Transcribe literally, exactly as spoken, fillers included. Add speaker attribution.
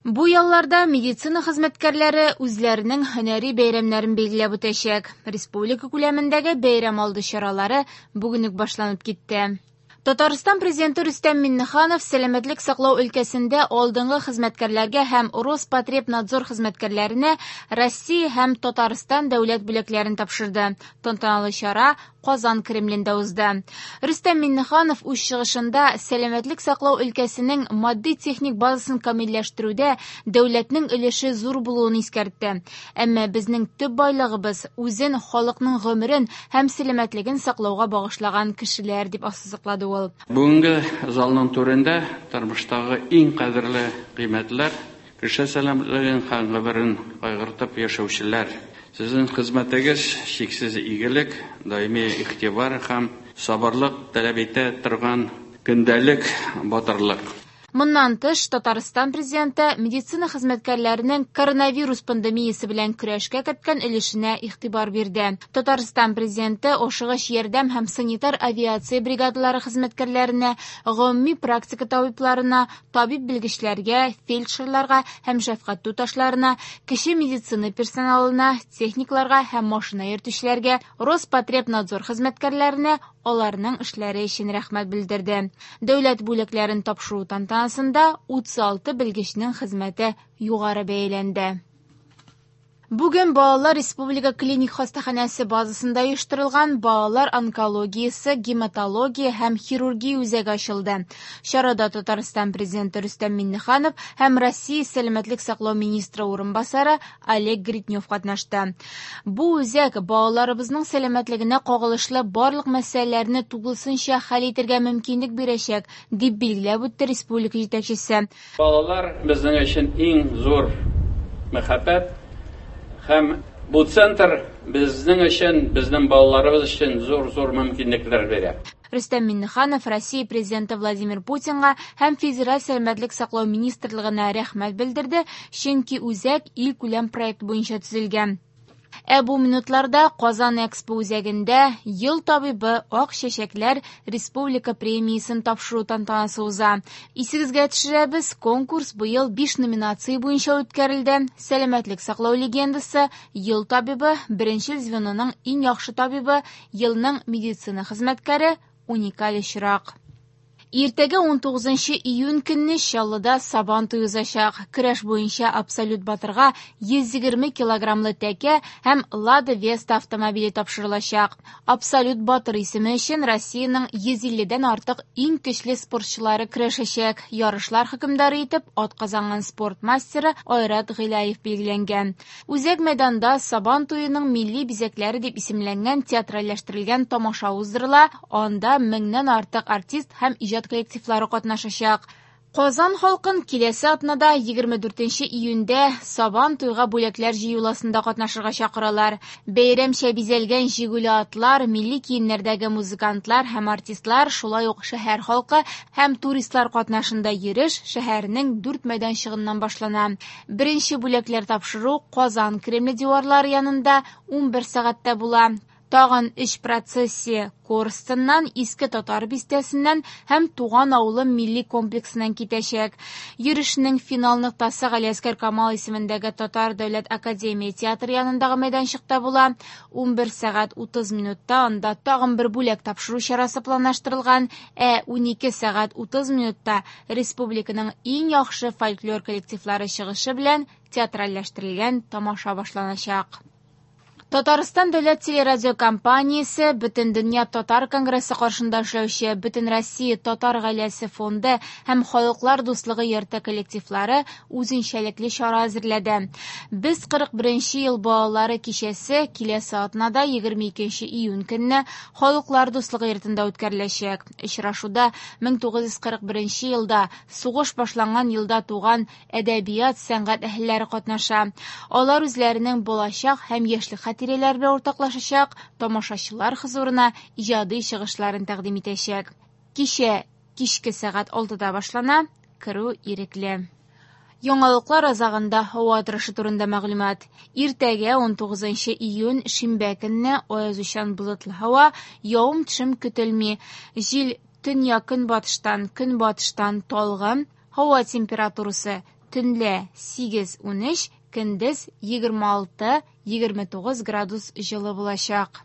Speaker 1: Бу ялларда медицина хезмәткәрләре үзләренең һөнәри бәйрәмнәрен билгеләп үтәчәк. Республика күләмендәге бәйрәм алды чаралары бүген үк башланып китте. Татарстан президенты Рөстәм Миңнеханов сәламәтлек саклау өлкәсендә алдынгы хезмәткәрләргә һәм Роспотребнадзор хезмәткәрләренә Россия һәм Татарстан дәүләт бүләкләрен тапшырды. Тантаналы чара Казан Кремлендә узды. Рөстәм Миңнеханов үз чыгышында сәламәтлек саклау өлкәсенең матди-техник базасын камилләштерүдә дәүләтнең өлеше зур булуын искәртте. Әмма безнең төп байлыгыбыз үзен халыкның гомерен һәм сәламәтлеген саклауга багышлаган кешеләр, дип ассызыклады ул.
Speaker 2: Бүгенге залның түрендә тормыштагы иң кадерле кыйммәтләр, кеше сәламәтлеген һәм гомерен кайгыртып яшәүчеләр. Сезнең хезмәтегез чиксез игелек, даими игътибар һәм сабырлык таләп итә торган көндәлек батырлык.
Speaker 1: Моннан тыш, Татарстан президенты медицина хезмәткәрләренең коронавирус пандемиясе белән көрәшкә керткән өлешенә игътибар бирде. Татарстан президенты ашыгыч ярдәм һәм санитар авиация бригадалары хезмәткәрләренә, гомуми практика табибларына, табиб белгечләргә, фельдшерларга һәм шәфкать туташларына, кече медицина персоналына, техникларга һәм машина йөртүчеләргә, Роспотребнадзор хезмәткәрләренә аларның эшләре өчен рәхмәт белдерде. Дәүләт бүләкләрен тапшыру тантанасында утыз алты белгечнең хезмәте югары бәяләнде. Бүген Балалар Республика клиник хастаханәсе базасында оештырылган балалар онкологиясе, гематология һәм хирургия үзәге ачылды. Чарада Татарстан президенты Рөстәм Миңнеханов һәм Россия сәламәтлек саклау министры урынбасары Олег Гриднев катнашты. Бу үзәк балаларыбызның сәламәтлегенә кагылышлы барлык мәсьәләләрне тулысынча хәл итәргә мөмкинлек бирәчәк, дип билгеләп үтте республика җитәкчесе.
Speaker 2: Балалар безнең өчен иң зур мәхәббәт. Һәм бу центр безнең өчен, безнең балаларыбыз өчен зур-зур мөмкинлекләр бирә.
Speaker 1: Рөстәм Миңнеханов Россия президенты Владимир Путинга һәм Федераль сәламәтлек саклау министрлыгына рәхмәт белдерде, чөнки үзәк илкүләм проект буенча төзелгән. Ә бу минутларда Казан Экспо үзәгендә Ел табибы Ак чәчәкләр республика премиясен тапшыру тантанасы уза. Исегезгә төшерәбез, конкурс быел биш номинация буенча үткәрелде. Сәламәтлек саклау легендасы, Ел табибы, беренчел звеноның иң яхшы табибы, елның медицина хезмәткәре, уникаль очрак. Иртәгә ун тугызынчы июнь көнне Чаллыда Сабан туе узачак. Көрәш буенча абсолют батырга йөз егерме килограммлы тәкә һәм Лада Веста автомобиле тапшырылачак. Абсолют батыр исеме өчен Россиянең йөз илледән артык иң көчле спортчылары көрәшәчәк. Ярышлар хөкемдары итеп атказанган спорт мастеры Айрат Гыйлаев билгеләнгән. Үзәк мәйданда Сабан туеның милли бизәкләре дип исемләнгән театральләштерелгән тамаша уздырыла. Анда меңнән артык артист һәм иҗат коллективлары катнашачак. Казан халкын киләсе атнада егерме дүртенче июньдә Сабан туйга бүләкләр җыюласында катнашырга чакыралар. Бәйрәмчә бизәлгән җигүле атлар, милли киемнәрдәге музыкантлар һәм артистлар, шулай ук шәһәр халкы һәм туристлар катнашында йөреш шәһәрнең дүрт мәйданчыгыннан башлана. Беренче бүләкләр тапшыру Казан Кремле диварлары янында ун бер сәгатьтә була. Тагын өч процессия Корстоннан, Иске Татар бистәсеннән һәм Туган авылы милли комплексыннан китәчәк. Йөрешнең финал ноктасы Галиәсгар Камал исемендәге Татар дәүләт академия театры янындагы мәйданчыкта була. ун бер сәгать утыз минутта анда тагын бер бүләк тапшыру чарасы планлаштырылган, ә ун ике сәгать утыз минутта республиканың иң яхшы фольклор коллективлары чыгышы белән театральләштерелгән тамаша башланачак. Татарстан дәүләт телерадиокомпаниясе Бөтендөнья татар конгрессы каршында эшләүче Бөтенроссия татар гаиләсе фонды һәм Халыклар дуслыгы йорты коллективлары үзенчәлекле чара әзерләде. Без кырык беренче ел балалары кичәсе киләсе атнада егерме икенче июнь көнне Халыклар дуслыгы йортында үткәреләчәк. Очрашуда мең тугыз йөз кырык беренче елда сугыш башланган елда туган әдәбият, сәнгать әһелләре катнаша. Алар үзләренең балачак һәм яшьлек хатирәләре белән уртаклашачак, тамашачылар хозурына иҗади чыгышларын тәкъдим итәчәк. Кичә кичке сәгать алтыда башлана, керү ирекле. Яңалыклар азагында һава торышы турында мәгълүмат. Иртәгә ун тугызынчы июнь шимбә көнне аязучан болытлы һава, явым-төшем көтелми. Җил төньяк көнбатыштан, көнбатыштан талгын, һава температурасы Төнлә сигез-унөч, көндез егерме алты-егерме тугыз градус җылы булачак.